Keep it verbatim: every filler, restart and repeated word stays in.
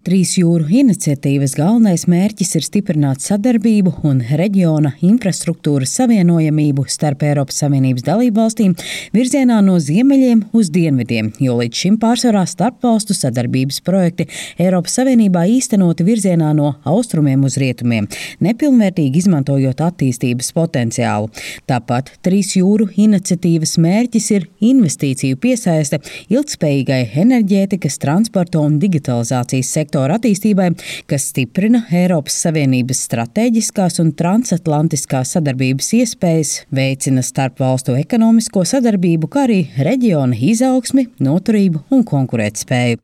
Trīs jūru iniciatīvas galvenais mērķis ir stiprināt sadarbību un reģiona infrastruktūras savienojamību starp Eiropas Savienības dalībvalstīm virzienā no ziemeļiem uz dienvidiem, jo līdz šim pārsvarā starpvalstu sadarbības projekti Eiropas Savienībā īstenoti virzienā no austrumiem uz rietumiem, nepilnvērtīgi izmantojot attīstības potenciālu. Tāpat Trīs jūru iniciatīvas mērķis ir investīciju piesaiste ilgtspējīgai enerģētikas, transporta un digitalizācijas sektorā. attīstībai, kas stiprina Eiropas Savienības stratēģiskās un transatlantiskās sadarbības iespējas, veicina starpvalstu ekonomisko sadarbību, kā arī reģiona izaugsmi, noturību un konkurētspēju.